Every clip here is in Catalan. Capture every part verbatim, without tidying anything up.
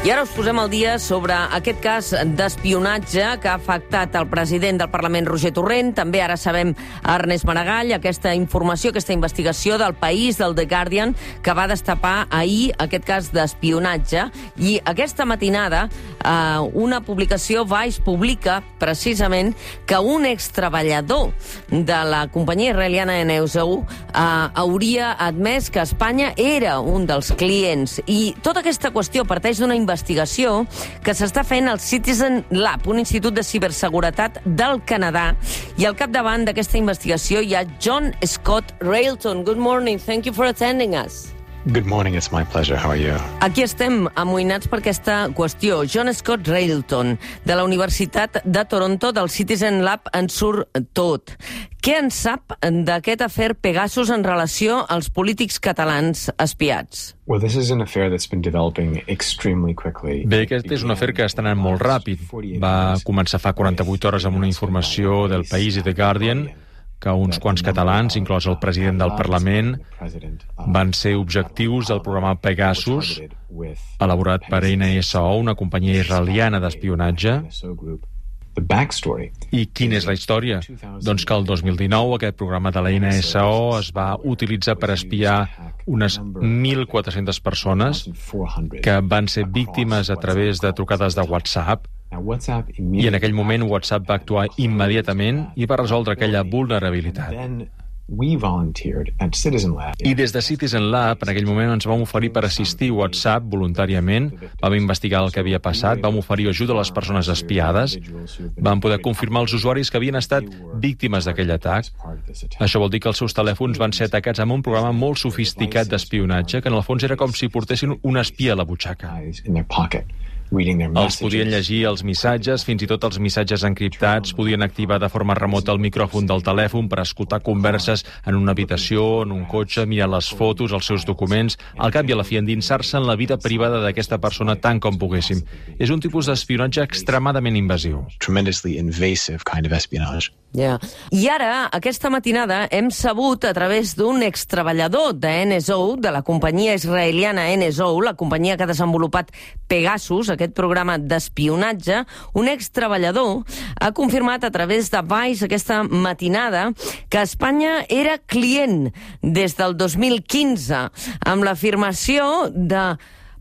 I ara us posem al dia sobre aquest cas d'espionatge que ha afectat el president del Parlament, Roger Torrent. També ara sabem Ernest Maragall, aquesta informació, aquesta investigació del País, del The Guardian, que va destapar ahir aquest cas d'espionatge. I aquesta matinada, eh, una publicació, Vice, publica precisament que un extreballador de la companyia israeliana N S O eh, hauria admès que Espanya era un dels clients. I tota aquesta qüestió parteix d'una investigació que s'està fent al Citizen Lab, un institut de ciberseguretat del Canadà. I al capdavant d'aquesta investigació hi ha John Scott Railton. Good morning. Thank you for attending us. Good morning, it's my pleasure. How are you? Aquí estem amoïnats per aquesta qüestió. John Scott Railton, de la Universitat de Toronto, del Citizen Lab, en surt tot. Què en sap d'aquest afer Pegasus en relació als polítics catalans espiats? Well, this is an affair that's been developing extremely quickly. Bé, aquest és un afer que està anant molt ràpid. Va començar fa quaranta-vuit hores amb una informació del País i The Guardian que uns quants catalans, inclòs el president del Parlament, van ser objectius del programa Pegasus, elaborat per N S O, una companyia israeliana d'espionatge. I quina és la història? Doncs que el dos mil dinou aquest programa de la N S O es va utilitzar per espiar unes mil quatre-centes persones que van ser víctimes a través de trucades de WhatsApp. I en aquell moment WhatsApp va actuar immediatament i va resoldre aquella vulnerabilitat. I des de Citizen Lab, en aquell moment, ens vam oferir per assistir WhatsApp voluntàriament, vam investigar el que havia passat, vam oferir ajuda a les persones espiades, vam poder confirmar als usuaris que havien estat víctimes d'aquell atac. Això vol dir que els seus telèfons van ser atacats amb un programa molt sofisticat d'espionatge, que en el fons era com si portessin un espia a la butxaca. Els podien llegir els missatges, fins i tot els missatges encriptats, podien activar de forma remota el micròfon del telèfon per escoltar converses en una habitació, en un cotxe, mirar les fotos, els seus documents, al cap i a la fi endinsar-se en la vida privada d'aquesta persona tant com poguéssim. És un tipus d'espionatge extremadament invasiu. Tremendously invasive kind of espionage. Yeah. I ara, aquesta matinada, hem sabut a través d'un extreballador de N S O, de la companyia israeliana N S O, la companyia que ha desenvolupat Pegasus, aquest programa d'espionatge, un extreballador ha confirmat a través de Vice aquesta matinada que Espanya era client des del dos mil quinze, amb l'afirmació de,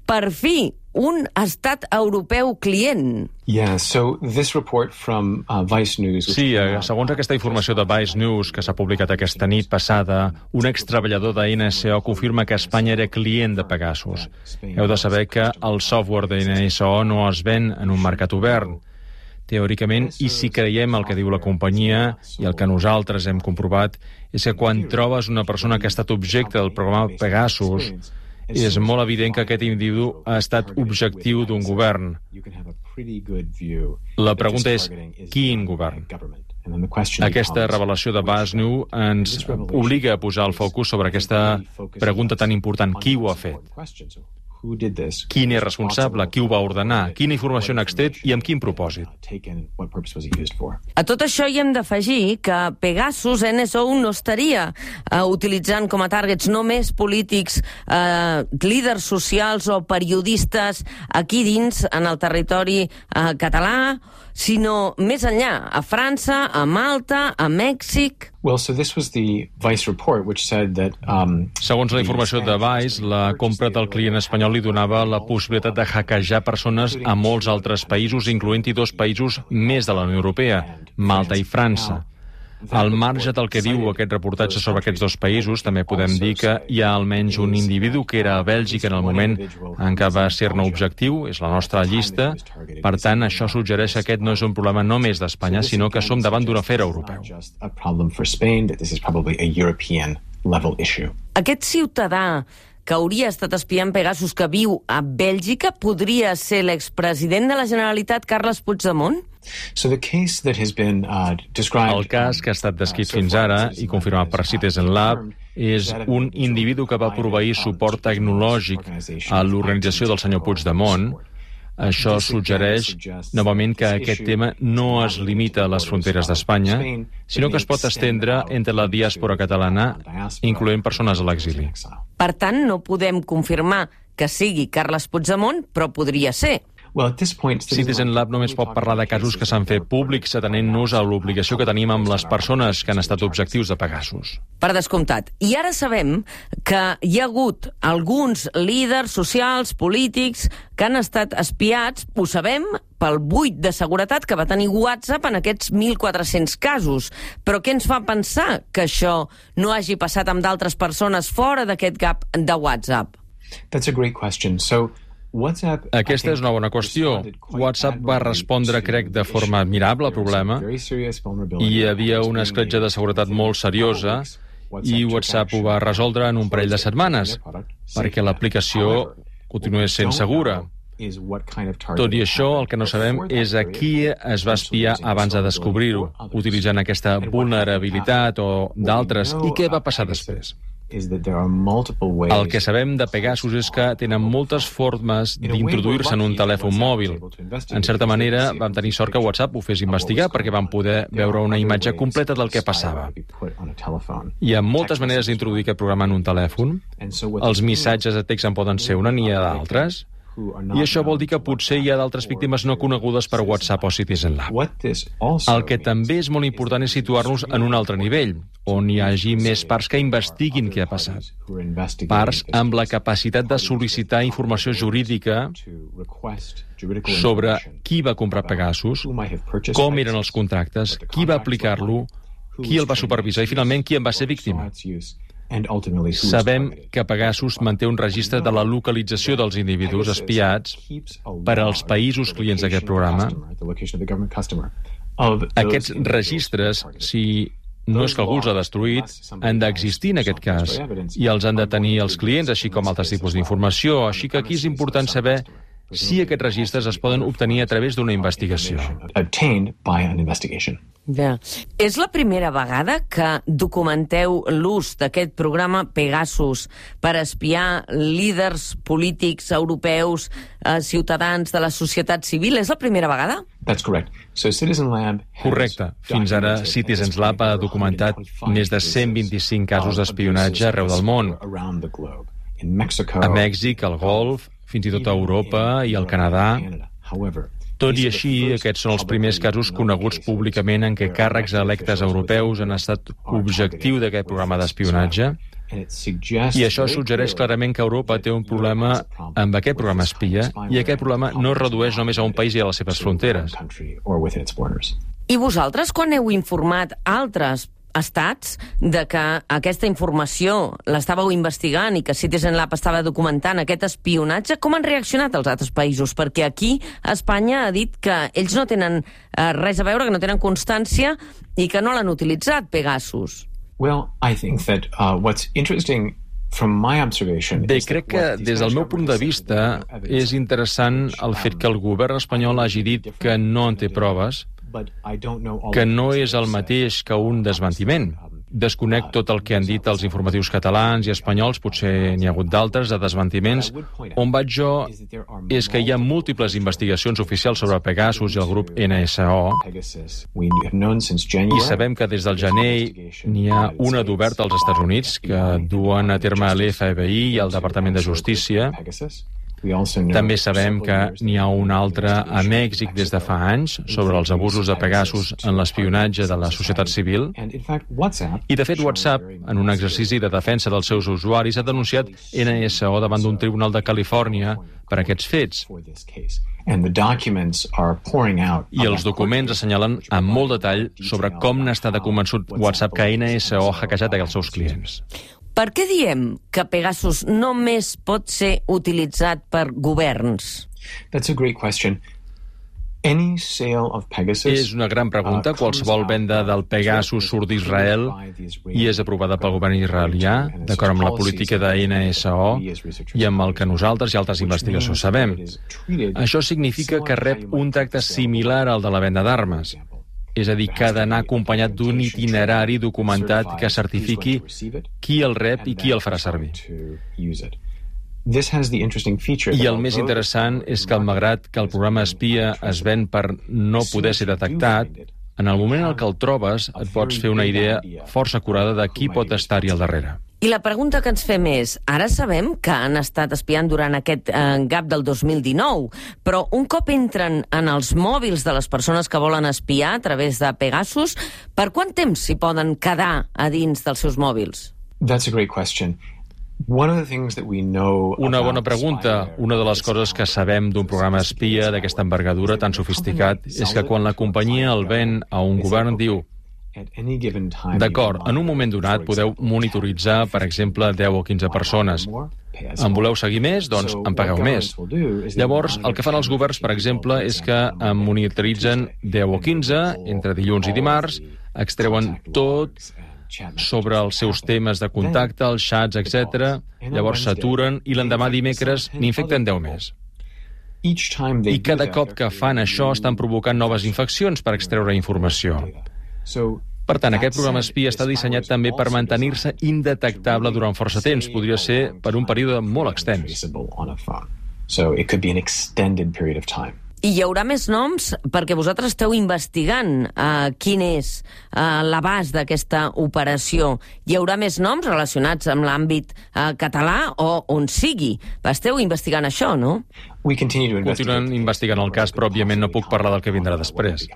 per fi, un estat europeu client. Yeah, so this report from uh, Vice News... Sí, segons aquesta informació de Vice News que s'ha publicat aquesta nit passada, un extreballador de N S O confirma que Espanya era client de Pegasus. Heu de saber que el software de N S O no es ven en un mercat obert. Teòricament, i si creiem el que diu la companyia i el que nosaltres hem comprovat, és que quan trobes una persona que ha estat objecte del programa Pegasus, és molt evident que aquest individu ha estat objectiu d'un govern. La pregunta és, quin govern? Aquesta revelació de Vice News ens obliga a posar el focus sobre aquesta pregunta tan important. Qui ho ha fet? Qui n'és responsable? Qui ho va ordenar? Quina informació n'ha extret i amb quin propòsit? A tot això hi hem d'afegir que Pegasus, N S O, no estaria uh, utilitzant com a targets només polítics, uh, líders socials o periodistes aquí dins, en el territori uh, català, sinó més enllà, a França, a Malta, a Mèxic... Well, so this was the Vice report, which said that... Um, Segons la informació de Vice, la compra del client espanyol li donava la possibilitat de hackejar persones a molts altres països, incloent-hi dos països més de la Unió Europea, Malta i França. Al marge del que diu aquest reportatge sobre aquests dos països, també podem dir que hi ha almenys un individu que era a Bèlgica en el moment en què va ser-ne objectiu, és la nostra llista. Per tant, això suggereix que aquest no és un problema només d'Espanya, sinó que som davant d'un afer europeu. Aquest ciutadà que hauria estat espiant Pegasus, que viu a Bèlgica, podria ser l'expresident de la Generalitat, Carles Puigdemont? So the case that has been uh, described... El cas que ha estat descrit fins ara i confirmat per Citizen Lab és un individu que va proveir suport tecnològic a l'organització del senyor Puigdemont. Això suggereix, novament, que aquest tema no es limita a les fronteres d'Espanya, sinó que es pot estendre entre la diàspora catalana, incloent persones a l'exili. Per tant, no podem confirmar que sigui Carles Puigdemont, però podria ser. Well, at this point, Citizen Lab només pot parlar de casos que s'han fet públics atenent-nos a l'obligació que tenim amb les persones que han estat objectius de Pegasus. Per descomptat. I ara sabem que hi ha hagut alguns líders socials, polítics, que han estat espiats, ho sabem, pel buit de seguretat que va tenir WhatsApp en aquests mil quatre-cents casos. Però què ens fa pensar que això no hagi passat amb d'altres persones fora d'aquest gap de WhatsApp? That's a great question. So, WhatsApp, Aquesta és una bona qüestió. WhatsApp va respondre, crec, de forma admirable al problema. Hi havia una escletxa de seguretat molt seriosa i WhatsApp ho va resoldre en un parell de setmanes, perquè l'aplicació continués sent segura. Tot i això, el que no sabem és a qui es va espiar abans de descobrir-ho, utilitzant aquesta vulnerabilitat o d'altres, i què va passar després. El que sabem de Pegasus és que tenen moltes formes d'introduir-se en un telèfon mòbil. En certa manera, vam tenir sort que WhatsApp ho fes investigar perquè vam poder veure una imatge completa del que passava. Hi ha moltes maneres d'introduir aquest programa en un telèfon. Els missatges de text en poden ser una, n'hi ha d'altres. I això vol dir que potser hi ha d'altres víctimes no conegudes per WhatsApp o Citizen Lab. El que també és molt important és situar-nos en un altre nivell, on hi hagi més parts que investiguin què ha passat. Parts amb la capacitat de sol·licitar informació jurídica sobre qui va comprar Pegasus, com eren els contractes, qui va aplicar-lo, qui el va supervisar i, finalment, qui en va ser víctima. Sabem que Pegasus manté un registre de la localització dels individus espiats per als països clients d'aquest programa. Aquests registres, si no és que algú els ha destruït, han d'existir en aquest cas, i els han de tenir els clients, així com altres tipus d'informació. Així que aquí és important saber si aquests registres es poden obtenir a través d'una investigació. Ja. És la primera vegada que documenteu l'ús d'aquest programa Pegasus per espiar líders polítics europeus, eh, ciutadans de la societat civil? És la primera vegada? Correcte. Fins ara, Citizen Lab ha documentat més de cent vint-i-cinc casos d'espionatge arreu del món. A Mèxic, al Golf, fins i tot a Europa i al Canadà. Tot i així, aquests són els primers casos coneguts públicament en què càrrecs electes europeus han estat objectiu d'aquest programa d'espionatge. I això suggereix clarament que Europa té un problema amb aquest programa espia, i aquest problema no es redueix només a un país i a les seves fronteres. I vosaltres, quan heu informat altres estats de que aquesta informació l'estàveu investigant i que Citizen Lab estava documentant aquest espionatge, com han reaccionat els altres països? Perquè aquí Espanya ha dit que ells no tenen eh, res a veure, que no tenen constància i que no l'han utilitzat, Pegasus. Well, I think that uh, what's interesting from my observation Bé, crec que des del meu punt de vista és interessant el fet que el govern espanyol hagi dit que no en té proves, que no és el mateix que un desmentiment. Desconec tot el que han dit els informatius catalans i espanyols, potser n'hi ha hagut d'altres, de desmentiments. On vaig jo és que hi ha múltiples investigacions oficials sobre Pegasus i el grup N S O, i sabem que des del gener n'hi ha una d'oberta als Estats Units que duen a terme l'F B I i el Departament de Justícia. També sabem que n'hi ha una altra a Mèxic des de fa anys sobre els abusos de Pegasus en l'espionatge de la societat civil. I, de fet, WhatsApp, en un exercici de defensa dels seus usuaris, ha denunciat N S O davant d'un tribunal de Califòrnia per aquests fets. I els documents assenyalen amb molt detall sobre com n'està de convençut WhatsApp que N S O ha hackejat els seus clients. Per què diem que Pegasus només pot ser utilitzat per governs? That's a great question. Any sale of Pegasus, és una gran pregunta. Qualsevol venda del Pegasus surt d'Israel i és aprovada pel govern israelià, d'acord amb la política de N S O i amb el que nosaltres i altres investigacions sabem. Això significa que rep un tracte similar al de la venda d'armes. És a dir, que ha d'anar acompanyat d'un itinerari documentat que certifiqui qui el rep i qui el farà servir. I el més interessant és que, malgrat que el programa espia es ven per no poder ser detectat, en el moment en què el trobes et pots fer una idea força acurada de qui pot estar-hi al darrere. I la pregunta que ens fem és, ara sabem que han estat espiant durant aquest eh, gap del dos mil dinou, però un cop entren en els mòbils de les persones que volen espiar a través de Pegasus, per quant temps s'hi poden quedar a dins dels seus mòbils? That's a great question. One of the things that we know Una bona pregunta. Una de les coses que sabem d'un programa espia d'aquesta envergadura tan sofisticat és que quan la companyia el ven a un govern diu d'acord, en un moment donat podeu monitoritzar, per exemple, deu o quinze persones. En voleu seguir més? Doncs en pagueu més. Llavors, el que fan els governs, per exemple, és que en monitoritzen deu o quinze entre dilluns i dimarts, extreuen tot sobre els seus temes de contacte, els xats, etcètera. Llavors s'aturen i l'endemà dimecres n'infecten deu més. I cada cop que fan això estan provocant noves infeccions per extreure informació. Per tant, aquest programa espia està dissenyat també per mantenir-se indetectable durant força temps. Podria ser per un període molt extens. I hi haurà més noms perquè vosaltres esteu investigant uh, quin és uh, l'abast d'aquesta operació. Hi haurà més noms relacionats amb l'àmbit uh, català o on sigui. Esteu investigant això, no? Continuen investigant el cas, però òbviament no puc parlar del que vindrà després.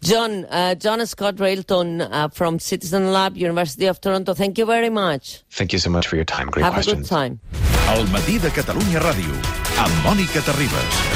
John, uh, John Scott Railton uh, from Citizen Lab, University of Toronto, thank you very much. Thank you so much for your time. Great Have questions. a good time. El matí de Catalunya Ràdio, amb Mònica Terribas.